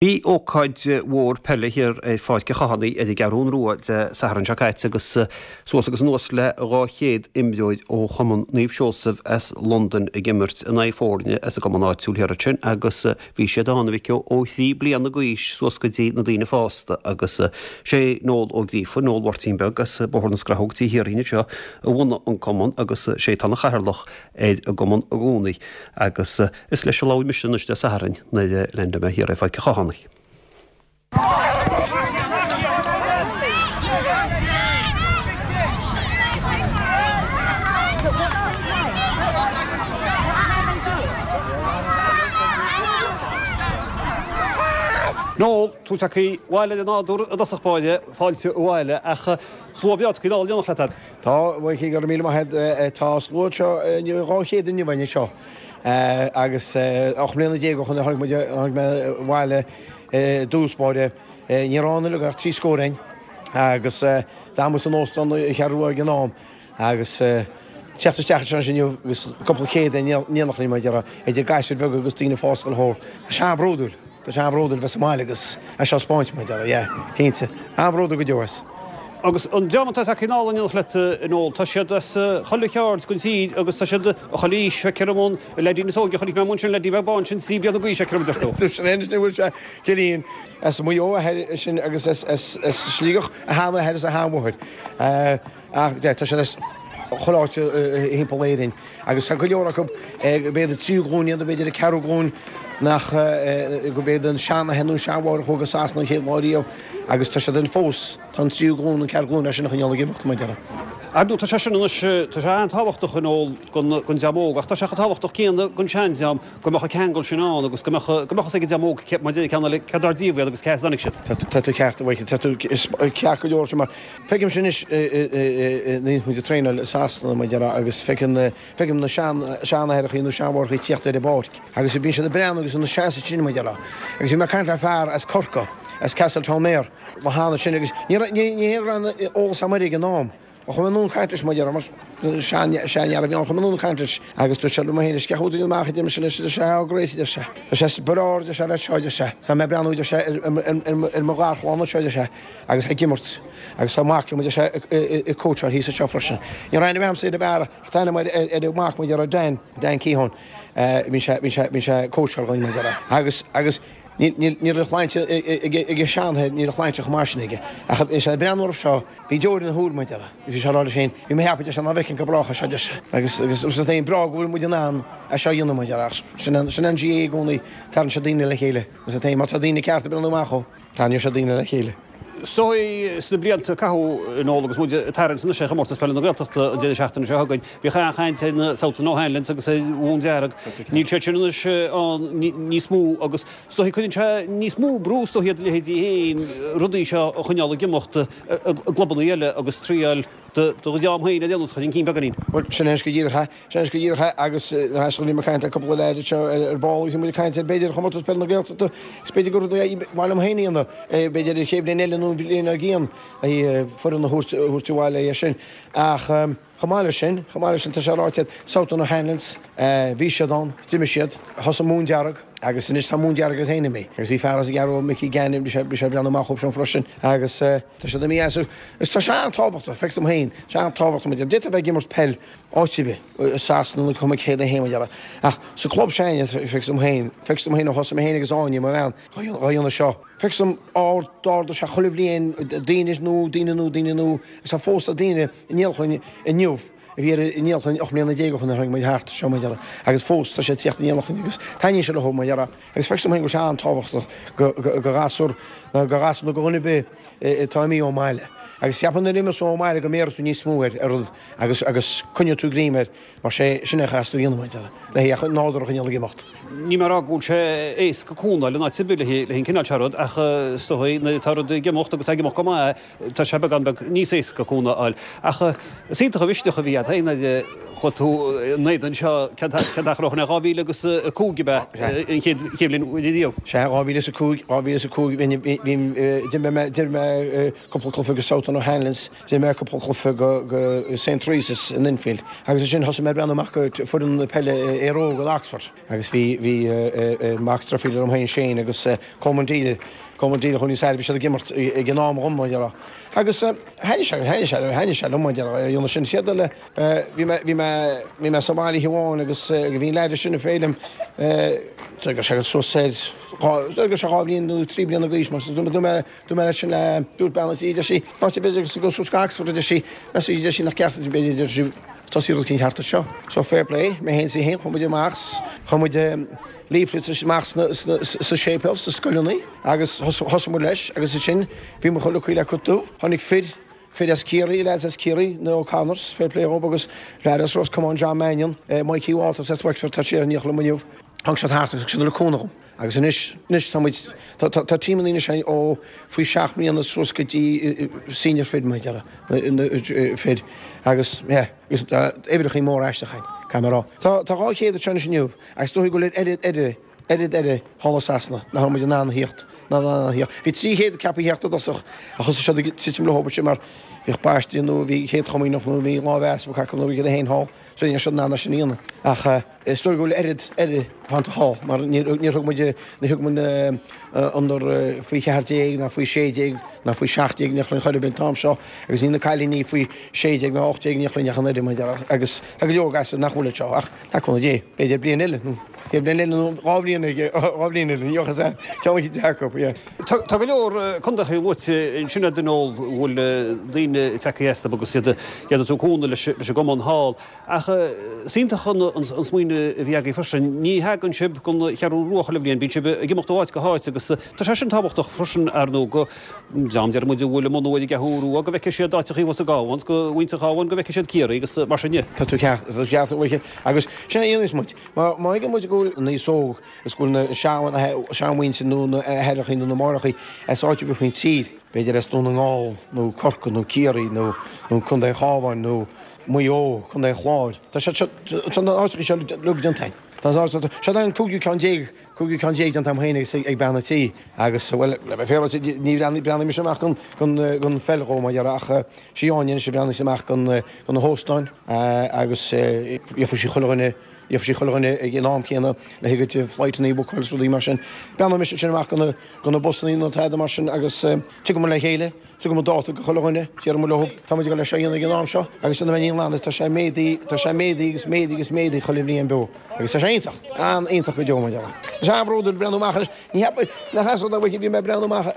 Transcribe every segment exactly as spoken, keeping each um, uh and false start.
Bhí ócáid mhór peile thiar ar Pháirc an Chathánaigh ar an gCeathrú Rua Dé Sathairn seo caite agus suas agus anuas le dhá chéad imreoir ó Chumann Naomh Seosamh as Londain ag imirt in aghaidh foirne as an gcumann áitiúil thiar ansin agus bhí siad ann a mhic ó thrí bliana d'aois suas go dtí na daoine fásta agus sé Noel Ó Gríofa, Noel Mháirtín Beag as Bóthar na Scrathóg Tigh Thiarthain anseo a bhunaigh an cumann agus sé atá ina chathaoirleach ar an gcumann i gcónaí agus is leis a labhair mise anois Dé Sathairn nuair a leaindeáil mé thiar ar Pháirc an Chathánaigh. Noel, tú tagtha abhaile ar an nádúr i dtosach báire, fáilte abhaile, ach slua breá tagtha anall in éineacht leat. Tá, a Mhichíl, go raibh míle maith agat. Tá slua anseo inniu, dhá chéad inniu againn anseo. Agus ocht mbliana déag ó shoin a tháinig muid, tháinig mé abhaile i dtús báire. Ní raibh ann uilig ach trí scór againn agus d'fhan muid san óstán i Cheathrú Rua ag an am agus teacht isteach anseo anois inniu agus cúpla céad in éineacht linn, mar a déarfá, idir gasúir bheaga agus daoine fásta go leor. Tá sé an-bhródúil. Tá sé an-bhródúil bheith sa mbaile agus é seo a 'spáint, mar a déarfá, yeah, cinnte. An-bhródúil go deo as. Agus an dream atá tagtha anall in éineacht leat, a Noel, tá siad as chuile cheard den tír agus tá siad chuile aois, feictear dom, an leaidín is óige a chonaic mé amuigh ansin, leaidí beag bán sin, trí bliana d'aois, feictear dom, a deir tú. Sin é anois, ní bhfuil sé, Cillian, as Maigh Eo a athair sin agus as Sligeach a sheanathair is a sheanmháthair. Ach tá siad as chuile áit thimpeall Éirinn agus tá go leor acu, b'fhéidir tríú glúin iad, b'fhéidir an ceathrú glúin, nach go b'fhéidir an seanathair nó an seanmháthair a chuaigh go Sasana an chéad lá riamh agus tá siad ann fós, tá an tríú glúin, an ceathrú glúin é sin a choinneáil ag imeacht, mar a déarfá. Ar ndóigh, tá sé sin anois, tá sé an-tábhachtach a Noel don don dream óg ach tá sé chomh tábhachtach céanna don seandream go mbeadh an ceangal sin ann agus go mbeadh go mbeadh fhios ag an dream óg mar a deir an ceann eile céard dar díobh iad agus cé as a dtáinig siad. Tá tú ceart, a Mhichíl, tá tú ceart go leor sin mar feicimse anois nuair a bhíonn muid ag traenáil i Sasana, mar a déarfá, agus feicim na feicim na sean seanathaireachaí nó seanmháithreachaí ag tíocht ar an bpáirc agus bíonn siad ag breathnú agus ina seasamh ansin, mar a déarfá. Agus bhí mé ag caint le fear as Corcaigh, as Castletownbere, lá cheana sin agus ní raibh ní ní raibh aon eolas agam air ag an am. Ach chuaigh mé anonn ag caint leis, mar a déarfá, mar seanfhear a bhí ann, chuaigh mé anonn ag caint leis agus dúirt sé liom féin, cén chaoi a bhfuil tú amach, a deir mise leis, a deir sé, oh great, a deir sé, tá sé is breá, a deir sé, a bheith anseo, a deir sé, tá mé ag breathnú, a deir sé, ar mo gharchlann anseo, a deir sé, agus ag imirt agus tá mac liom, a deir sé, ag cóitseáil thíos anseo freisin. Ní raibh aithne agamsa ar an bhfear ach tá aithne agam ar a mhac, mar a déarfá, Dan, Dan Keohane, bíonn sé, bíonn sé, bíonn sé ag cóitseáil dhúinn, mar a déarfá. Agus, agus ní, ní raibh shláinte ag a sheanathair, ní raibh shláinte chomh maith sin aige. Ach bhí sé ag breathnú orthu seo, bhí deoir ina shúil, mar a déarfá. Bhí sé ag rá leis féin, bhí mé ag ceapadh, deir sé, ná bhfeicfinn go brách é seo, deir sé. Agus, agus, is é breá go bhfuil muid in ann é seo a dhéanamh, mar a déarfá. Ach sin an, sin an GAA i gcónaí, tarraingíonn sé daoine le chéile. Is é má tá daoine cearta ag breathnú amach dhó, tarraingíonn sé daoine le chéile. Is dóigh, sna blianta a caitheadh, a Noel, agus muid ag tarraingt anois ar Chomórtas Peile na Gaeltachta an deireadh seachtaine seo chugainn, bhíodh an-chaint ar na Southern O'Hanlons agus ar Dhún Dearg. Níl siad sin anois ann níos mó agus is dóigh cuireann sé níos mó brú is dóigh ar do leithéidí féin rudaí seo a choinneáil ag imeacht i gclubanna eile agus triail do dhream féin ar aon nós a chur chun cinn beagáinín. Bhuel, sin é anois go díreach é. Sin é anois go díreach é agus bhí mé ag caint le cúpla leaid anseo ar ball agus bhí muid ag caint ar b'fhéidir Chomórtas Peile na Gaeltachta is b'fhéidir gur rud é ba mhaith liom féin a dhéanamh b'fhéidir an chéad bhliain eile nó an bhliain dár gcionn foireann a thabhairt abhaile é sin ach chomh maith leis sin, chomh maith leis sin tá sé ráite Southern O'Hanlons bhí siad ann, d'imigh siad, thosaigh Móin Dearg agus anois tá Móin Dearg iad féin imithe agus bhí fear as an gCeathrú Mickey Gannon bhí sé bhí sé ag breathnú amach dhóibh sin freisin agus tá siad imithe as agus tá sé an-tábhachtach, feictear dom féin, tá sé an-tábhachtach muid, d'fhéadfá a bheith ag imirt peil áit ar bith, i Sasana nó cuma céard é féin mar a déarfá ach sa club s'againne feictear dom féin, feictear dom féin ó thosaigh mé féin agus Áine, mo bhean, dhá dhéanamh seo. Feictear dom ard, d'ardaigh sé chuile bhliain daoine nua, daoine nua, daoine nua agus tá fós tá daoine in éineacht linn inniu a bhí ar in éineacht linn ocht mbliana déag ó shin a tháinig muid thart seo mar a déarfá agus fós tá sé ag tíocht in éineacht linn agus taitníonn sé leo mar a déarfá agus feictear dom féin go bhfuil sé an-tábhachtach go go go ghasúr nó go ghasúr nó go dhuine ar bith atá imithe ón mbaile agus cheapfainn nuair a imeos tú ón mbaile go mbéarfaidh tú níos mó ar ar rud agus agus coinneoidh tú greim air mar sé sin é a chaithfeas tú a dhéanamh mar a déarfá le hé an nádúr a choinneáil ag imeacht. Níl mé ag rá go bhfuil sé éasca cúnamh a fháil in áit ar bith le haghaidh an cineál seo rud ach is dóigh nuair atá rud ag imeacht agus ag imeacht go maith tá sé beagán beag níos éasca cúnamh a fháil. Ach is iontach an mhisneach a bhí agat féin nuair a chuaigh tú in éadan seo cén t-achar ó shin é dhá mhíle agus a cúig ab ea an chéad bhliain riamh? Sea, dhá mhíle is a cúig, dhá mhíle is a cúig, bhí, bhí, d'imir mé, d'imir mé cúpla cluiche do South Ultan O'Hanlon's, d'imir mé cúpla cluiche go go Saint Teresa's in Enfield. Agus ansin thosaigh mé ag breathnú amach go foireann peile Éire Óg in Oxford. Agus bhí bhí mac deirfiúr liom féin Shane agus Coleman Deely, Coleman Deely chun níos airde, bhí siad ag imirt ag an am dhom, mar a déarfá. Agus thaitnigh sé, thaitnigh sé, thaitnigh sé liom, mar a déarfá, a dhéanamh sin. Chéad eile, bhí mé, bhí mé, bhí mé sa bhaile oíche amháin agus bhí an leaid sin ag féilim, go sé suas ar, go sé dhá bhliain nó trí bliana d'aois, mar dúirt mé, dúirt mé leis sin le, dúirt bean an tí, deir sí, áit a b'fhéidir go suas go Oxford, a deir sí, meas tú, deir sí, nach ceart, b'fhéidir, deir sí, tosaí rud éicint thart anseo. So fair play, mé féin is í féin, chuaigh muid amach, chuaigh muid leaflets amach sa séipéal, sna scoileanna agus thosaigh muid leis agus ansin bhí muid chuile le cut dubh. Tháinig fir, fir as Ciarraí, lads as Ciarraí, na O'Connors, fair play dhób agus leaid as Ros Comáin, John Mannion, Mikey Walters as Wexford, tá sé ar an liom inniu. Tháinig siad thart agus thug siad cúnamh dhom. Agus anois, anois tá muid, tá, tá, tá tímeanna anois againn ó faoi seacht mbliana suas go dtí senior fir, mar a déarfá, fir. Agus, yeah, agus tá uimhreachaí móra aisteach againn, caithfidh mé a rá. Tá, tá dhá chéad anseo anois inniu agus is dóigh go bhfuil oiread, oiread, oiread eile thall i Sasana nach raibh muid in ann a thíocht, nach raibh in ann a thíocht. Bhí trí chéad ceaptha a theacht i dtosach ach thosaigh siad ag titim leo sin mar bhíodh baistí nó bhí chéad chomaoineach nó bhí lámh easpaig acu nó bhí iad féin thall. So ní raibh siad in ann é sin a dhéanamh. Ach is dóigh go bhfuil oiread eile fanta thall mar níor thug muid, ní thug muid under faoi cheathair déag ná faoi sé déag ná faoi seacht déag in aon chor ar bith an t-am seo agus níl na cailíní faoi sé déag ná ocht déag in aon chor ach an oiread mar a déarfá agus tá go leor gasúr nach bhfuil anseo ach le cúnamh Dé b'fhéidir bliain eile nó chéad bhliain eile nó dhá bhliain eile dhá bhliain eile ní fhacthas é ceann eicínt acu yeah. Tá go leor contaetha luaite ansin a Noel a bhfuil daoine tagtha astu agus iad iad ag tabhairt cúnamh leis an gcumann thall. Ach is iontach an smaoineamh a bhí agaibh freisin. Ní thagann sibh don Cheathrú Rua chuile bhliain, bíonn sibh ag imeacht ó áit go háit agus tá sé sin tábhachtach freisin ar ndóigh go dream deir muid a bhfuil ag mbunú ar an gCeathrú Rua go bhfeicfidh siad áiteachaí thuas sa gCabhán, go mhuintir an Chabháin go bhfeicfidh siad Ciarraí agus mar sin de. Tá tú ceart, tá tú ceart a Mhichíl. Agus sin a dhéananns muid. Má má thuigeann muid go bhfuil an aos óg is go bhfuil na seanmhuintir nó na haithreachaí nó na máithreachaí as áit ar bith faoin tír, b'fhéidir as Dún na nGall nó Corcaigh nó Ciarraí nó nó Contae an Chabháin nó Maigh Eo, Contae an Chláir. Tá siad seo, tá na áiteachaí seo uilig déanta againn. Tá siad an cúigiú ceann déag, cúigiú ceann déag déanta agam féin agus ag bean an tí agus, bhuel, le bheith féaráilte, ní bhreathnaigh mise amach don, don, don pheil chomh maith, ach sí Áine anois a bhreathnaigh amach don, do na hóstáin agus gheobhaidh sí chuile dhuine, gheobhaidh sí chuile dhuine ag an am céanna le haghaidh a gcuid flightanna a bhookáil is rudaí mar sin. Breathnóidh mise ansin amach do na, do na busannaí nó tada mar sin agus tiocfaidh muid le chéile. Tugann muid dáta do chuile dhuine, déarfaidh muid leo, tá muid ag dul leis seo a dhéanamh ag an am seo agus déanfaidh mé ní an tá sé ag méadaí, tá sé ag méadaí agus méadaí agus méadaí chuile bhliain beo agus tá sé iontach, an-iontach go deo mar a déarfá. Tá sé an-bhródúil breathnú amach anois, ní cheapfainn nach as rud a bhfuil, bhí mé ag breathnú amach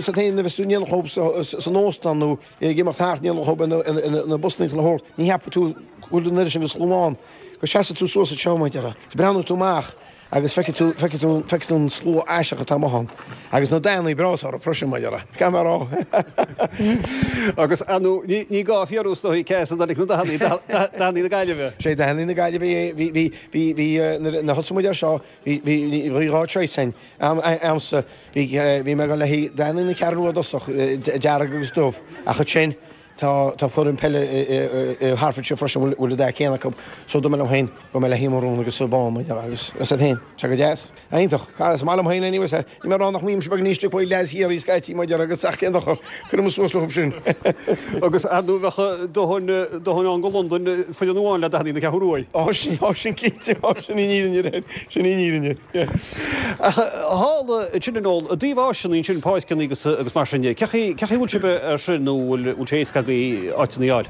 sa t-aon nuair a bheas tú in éineacht leo san óstán nó ag imeacht thart in éineacht leo na busannaí chuile shórt, ní cheapfaidh tú go bhfuil an oiread sin de shlua ann, go seasfaidh tú suas anseo mar a déarfá, breathnóidh tú amach. Agus feicfidh tú, feicfidh tú, feicfidh tú an slua aisteach atá amuigh ann. Agus na dathannaí breá atá orthu freisin, mar a déarfá. Caithfidh mé a rá. Agus, ar ndóigh, ní, ní gá fiafraí is dóigh cé as a dtáinig na dathannaí, dathannaí na Gaillimhe. Sé dathannaí na Gaillimhe é, bhí, bhí, bhí, bhí, nuair a thosaigh muid air seo, bhí, bhí, bhí dhá choice againn. A'msa, bhí, bhí mé ag dul le haghaidh dathannaí na Ceathrún Rua i dtosach, dearg agus dubh, ach ansin, Tá tá foireann peile i Hertfordshire freisin a bhfuil an dath céanna acu so dúirt mé liom féin go mbeidh le haghaidh marún agus bán mar a déarfá agus is iad féin. Tá go deas. Iontach. Is maith liom féin anyway so níl mé ag rá nach mbímse beagán ísle faoi leaids Chiarraí scaití mar a déarfá agus ach cén dochar cuirfidh muid suas leo sin. Agus ar ndóigh bheadh dóthain dóthain ann go Londain foireann amháin le dathannaí na Ceathrún Rua. Ó sin ó sin cinnte ó sin í an fhírinne sin í an fhírinne. Yeah. Ach thall ansin a Noel, i dtaobh áiseanna ansin, páirceanna agus agus mar sin de, cé chaoi cé chaoi bhfuil sibh ar sin nó bhfuil bhfuil sé éasca agaibh áiteanna a fháil?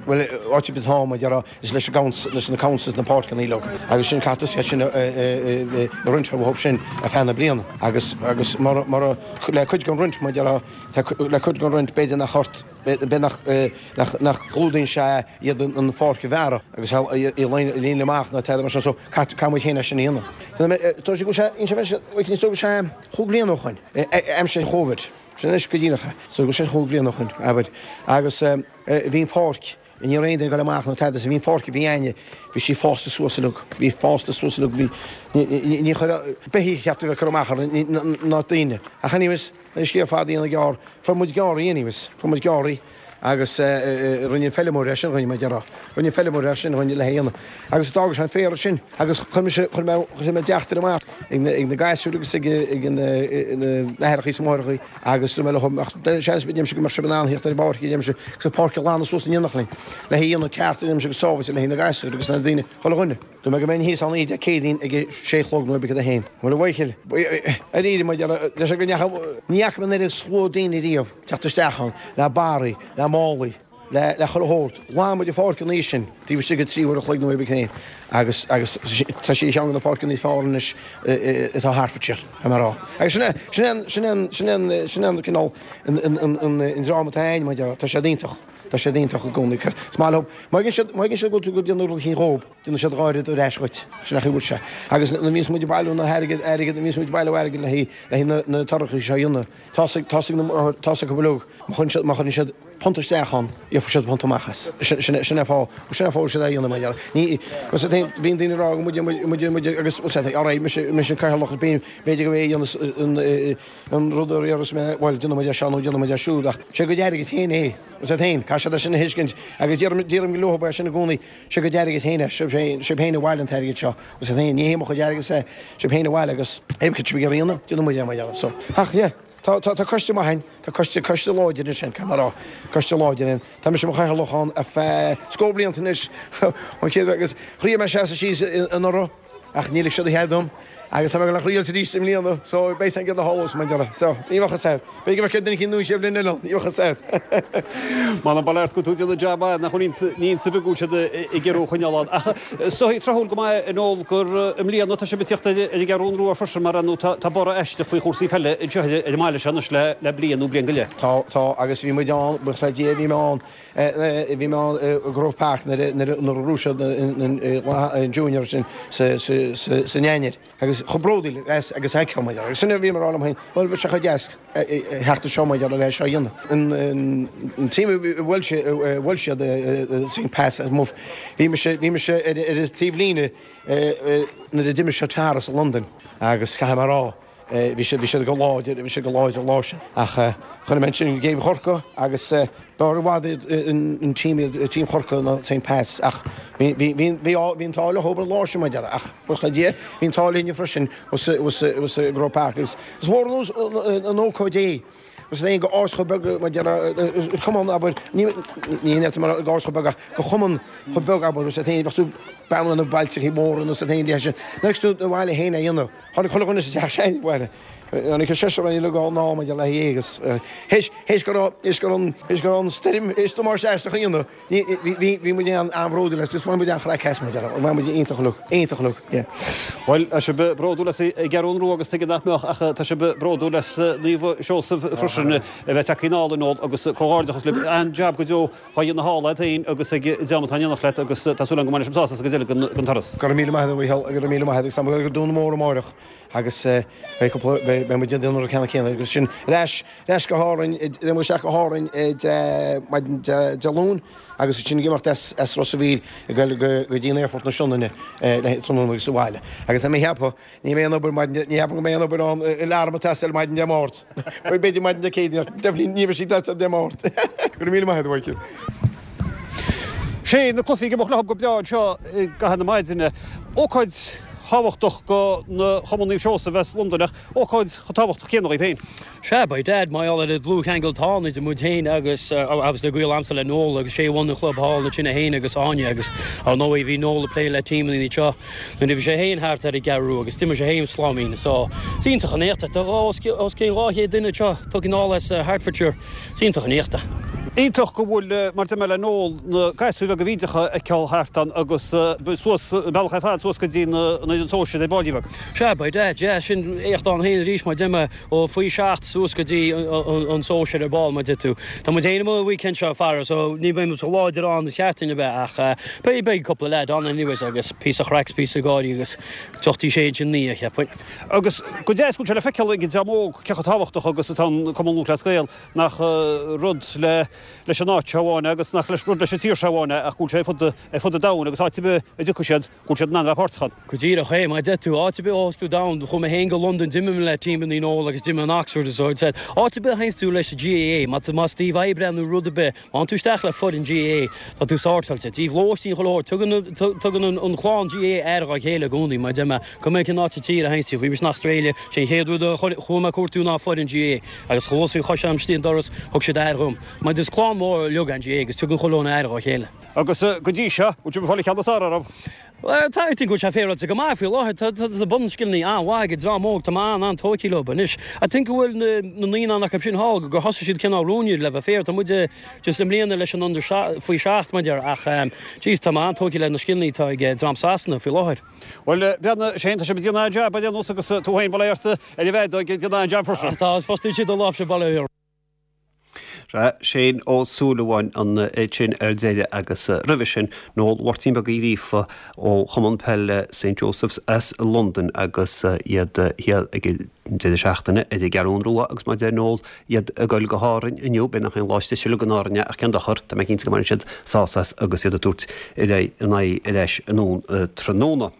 Bhuel, áit ar bith atá mar a déarfá, is leis an gcouncil, leis na councils na páirceanna uilig agus sin caithfidh tú sin a a roinnt orthu sin ar feadh na bliana agus agus mar mar le cuid den roinnt mar a déarfá, tá le cuid den roinnt b'fhéidir nach ort b'fhéidir nach nach nach gclúdaíonn sé iad an pháirc a bhearradh agus í a líonadh amach nó tada mar sin so caithfidh muid féin é sin a dhéanamh. Tá sé go bhfuil sé is dóigh go bhfuil sé chúig bliana ó shoin, aimsir Covid, sin anois go díreach é, so go bhfuil sé chúig bliana ó shoin, abair, agus bhí an pháirc, ní raibh aon duine ag dul amach nó tada so bhí an pháirc a bhí a'inne, bhí sí fásta suas uilig, bhí fásta suas uilig, bhí, ní chuirfeadh beithígh ceart a bheith ag cur amach uirthi ná daoine. Ach anyways, le scéal fada a dhéanamh gearr, fuair muid gearr í anyways, fuair muid gearr í Agus rinne an feilméara é sin dhúinn, mar a déarfá. Rinne an feilméara é sin dhúinn le dhéanamh. Agus d'fhág sé an féar ansin agus chuir mise, chuir mé, chuir mé teachtaireacht amach ag na, ag na gasúir agus ag, ag na, na haithreachaí is na máithreachaí agus dúirt mé leo, ach seans, deirimse go mbeadh sibh in ann theacht ar an bpáirc, deirimse, agus an pháirc a ghlanadh suas in éineacht linn, le dhéanamh ceart, deirimse, go sábháilte le haghaidh na gasúir agus na daoine, chuile dhuine. Dúirt mé go mbeinn thíos ann oíche Dé Céadaoin ag a sé a chlog nó ag a haon. Bhuel, a Mhichíl, ar mar deir sé go ndeacha, ní fhaca mé an oiread slua daoine riamh teacht isteach ann le barraí, le málaí, le le chuile shórt. Lán muid an pháirc an oíche sin, taobh istigh de trí uair a chloig nó ag a haon agus agus tá sí cheann de na páirceanna níos fearr anois atá Hertfordshire, tá mé a rá. Agus sin é, sin é, sin é, sin é, sin é an cineál an an an an dream atá ann, mar deir, tá siad iontach. Tá siad iontach i gcónaí. Is maith leo. Má fhaigheann siad, má fhaigheann siad go bhfuil tú ag déanamh rud eicínt dhóib, déanann siad dhá oiread ar ais dhuit. Sin é an chaoi a bhfuil sé. Agus nuair a bhíonns muid ag bailiú na hairgid, airgid, nuair a bhíonns muid ag bailiú airgid le haghaidh, le haghaidh na, na torachaí seo a dhéanamh, tá 's ag, tá 's ag na, tá 's acu uilig, má chuireann siad, má chuireann siad punt isteach ann, gheobhaidh siad punt amach as. Sin, sin, sin é fáth, sin é fáth a bhfuil siad á dhéanamh, mar gheall. Ní, bhfuil 's a'd, bíonn daoine ag rá go muide, muide, muide, agus, bhfuil 's a'd, alright, mise, mise an cathaoirleach, bíonn, b'fhéidir go mbeidh a dhéanamh an, an rud a iarras mé, bhuel, déanfaidh muid é seo nó déanfaidh muid é siúd, ach sé a gcuid airgid féin é. Bhfuil 's a'd féin, caithfidh siad é sin a thuiscint agus deirim, deirim leo é sin i gcónaí, sé a gcuid airgid féin é, sibh féin, sibh féin a bhailigh an t-airgead seo, bhfuil 's a'd féin, ní hé mo chuid airgeadsa é, sibh féin a bhailigh agus pé cad sibh ag iarraidh a dhéanamh, déanfaidh muid é mar gheall. So, ach yeah, tá, tá, tá coiste maith ann, tá coiste, coiste láidir ansin, caithfidh mé a rá, coiste láidir ann. Tá mise i mo chathaoirleach ann ar feadh scór blianta anois, ón chéad, agus thriail mé seasamh síos anuraidh, Ach níor lig siad a chead dom agus tá mé ag dul a thriailt arís i mbliana so beidh san gcéad a tharlós mar dhea. So, ní bheadh fhios a'd. B'fhéidir go bhfeicfeá duine eicínt nua sé bhliain eile ann, ní bheadh fhios a'd. M'anam bail ort go bhfuil tú ag déanamh jab maith nach bhfuil ní ionsaí beag go bhfuil siad ag iarraidh thú a choinneáil ann. Ach is dóigh tráthúil go maith a Noel gur i mbliana tá sibh ag tíocht ar an gCeathrú Rua freisin mar ar ndóigh tá borradh aisteach faoi chúrsaí peile anseo ar an mbaile seo anois le bliain nó bliain go leith. Tá, tá agus bhí muid ann, buíochas le Dia, bhí mé ann Bhí mé ann i Croke Park nuair a bhuaigh siad an Junior sin san Eanáir agus chomh bródúil as agus a fheicfeá muid agus sin a bhí mé ag rá liom féin, bhuel bheadh sé chomh deas theacht anseo mar gheall ar é seo a dhéanamh. An team a bhuail siad Saint Pat's as Muff, bhí mise bhí mise ar an taobhlíne nuair a d'imir siad Tara sa Londain agus caithfidh mé a rá, Bhí siad, bhí siad go láidir, bhí siad go láidir an lá sin. Ach chonaic mé ansin game Chorcaí agus b'fhearr i bhfad iad an team iad, team Chorcaí ná Saint Pat's ach bhí, bhí, bhí, bhí, bhí an t-ádh leo an lá sin mar a déarfá ach buíochas le Dia bhí an t-ádh linne freisin thuas i gCroke Park agus is mór an ócáid é agus é go áit chomh beag mar a déarfá cumann abair ní ní ní mar go áit chomh beag ach go chumann chomh beag abair agus é féin bheadh tú bean na bailteachaí móra nó sa féin leis sin. Nuair tú do bhaile féin a dhéanamh. Tháinig chuile dhuine sa teach sin abhaile. Tháinig an seisear againn uilig ann maidir le hé agus théis théis go raibh théis go raibh an théis go raibh an stoirm théis damáiste aisteach a dhéanamh ní bhí bhí bhí muid an-bhródúil as is bhain muid an-chraic as mar a déarfá bhain muid iontach uilig iontach uilig yeah. Bhuel, tá sibh bródúil as an gCeathrú Rua agus tuige nach mbeadh ach tá sibh bródúil as Naomh Seosamh freisin a bheith tagtha anall inniu agus comhghairdeachas libh. An-jab go deo á dhéanamh thall agat féin agus ag an dream atá in éineacht leat agus tá súil agam go mbainfidh sibh sásamh as an gcuid eile den turas. Go raibh míle maith agat a Mhícheál, go raibh míle maith agat agus tá muid ag dul go Dún Mór amáireach agus beidh cúpla, beidh muid ag déanamh an rud ceannann céanna agus sin ar ais, ar ais go hÁrainn, beidh muid isteach go hÁrainn maidin Dé Luain agus ansin ag imeacht as, as Ros a' Mhíl ag dul go dtí an aerfort na Sionainne le tráthnóna agus abhaile. Agus tá mé ag ceapadh Ní bheidh aon obair maidin, ní cheapaim go mbeidh aon obair ann in arm ag teastáil maidin Dé Máirt. B'fhéidir maidin Dé Céadaoin ach definitely ní bheidh sí ag teastáil Dé Máirt. Go raibh míle maith agat, a Mhichíl. Sé na cluichí ag imeacht leo go breá anseo i gcaitheamh na maidine. Ócáid thábhachtach do na Chumann Naomh Seosamh as Londain ach ócáid chomh tábhachtach céanna dhóibh féin. Sea, by dad, mar gheall ar an dlúthcheangal atá ann idir muid féin agus, obviously, gaol a'msa le Noel agus sé a bhunaigh an chlub thall ansin é féin agus Áine agus, ar ndóigh, bhí Noel ag plé le tímeanna anseo nuair a bhí sé féin thart ar an gCeathrú Rua agus d'imir sé féin sláimín so is iontach an éacht é. Tá os cionn dhá chéad duine anseo tugtha anall as Hertfordshire, is iontach an éacht é. Iontach go bhfuil, mar deir mé le Noel, na gasúir bheaga bhídeacha a fheiceáil thart ann agus suas, an bealach ar fad suas go dtí na, an fhoireann sóisir ar ball beag. Sea, by dad, yeah, sin éacht ann féin arís mar deir mé. Ó faoi seacht suas go dtí an sóisear ar ball, mar deir tú. Tá muid féin amuigh an weekend seo, a fheara, so ní bheidh muid chomh láidir ann an seachtain ar bith ach beidh, beidh cúpla leaid ann anyways agus píosa chraic 's píosa gáirí agus deoch sé ansin naoi, cheapfainn. Agus go deas go bhfuil sé le feiceáil ag an dream óg cé chomh tábhachtach agus atá an Cumann Lúthchleas Gael, nach rud le leis an áit seo amháin agus nach leis rud leis an tír seo amháin é ach go bhfuil sé ar fud ar fud an domhain agus áit ar bith a dtiocfaidh siad go bhfuil siad in ann a bheith páirteach ann. Go díreach é, mar a deir tú, áit ar bith a théas tú domhan, chuaigh mé féin go Londain, d'imir mé le team Noel agus d'imir in Oxford is so said, áit ar bith a théanns tú leis an GAA, má más taobh oibre nó rud ar bith, má théann tú isteach le foireann GAA, tá tú sórtáilte. Taobh lóistín chuile shórt, tugann tugann an chlann GAA aire dá chéile i gcónaí, mar a deir mé, cuma cén áit sa tír a théanns tú, bhí mise in Australia, sé an chéad rud a chuaigh mé a cuartú ná foireann GAA, agus chomh luath is a bhí chois istigh an doras, thug siad aire dhom. Mar is clann mhór uilig an GAA agus tugann chuile dhuine aire dá chéile. Agus go dtí seo, bhfuil sibh ag fáil an ceann is fearr orthu? Well, tá I think go bhfuil sé féaráilte go maith faoi láthair, tá tá bunscileanna an-mhaith ag an dream óg, tá mé an-an-tógtha leo anois. I think go bhfuil na na naíonáin acu sin thall gur thosaigh siad cineál junior le bheith fair, tá muid just i mbliana leis an under faoi seacht mar deir ach jeez tá mé an-tógtha le na scileanna atá ag dream Sasana faoi láthair. Bhuel breathnaigh Shane tá sé ag déanamh an-jab ar aon nós agus tú féin bail ort ar an bhfeadóg ag déanamh an-jab freisin. Tá fostaí siad do láimhse baile Shane Ó Súilleabháin ansin ar deireadh agus roimhe sin Noel Mháirtín Beag Uí Ghríofa ó Chumann Peile St Joseph's as Londain agus iad thiar ag an deireadh seachtaine ar an gCeathrú Rua agus mar a deir Noel iad ag dul go hÁrainn inniu b'fhéidir nach aon lá istigh go Árainn ach cén dochar tá mé cinnte go mbainfidh siad sásamh as agus iad ag tabhairt ar aghaidh in aghaidh ar ais anonn tráthnóna.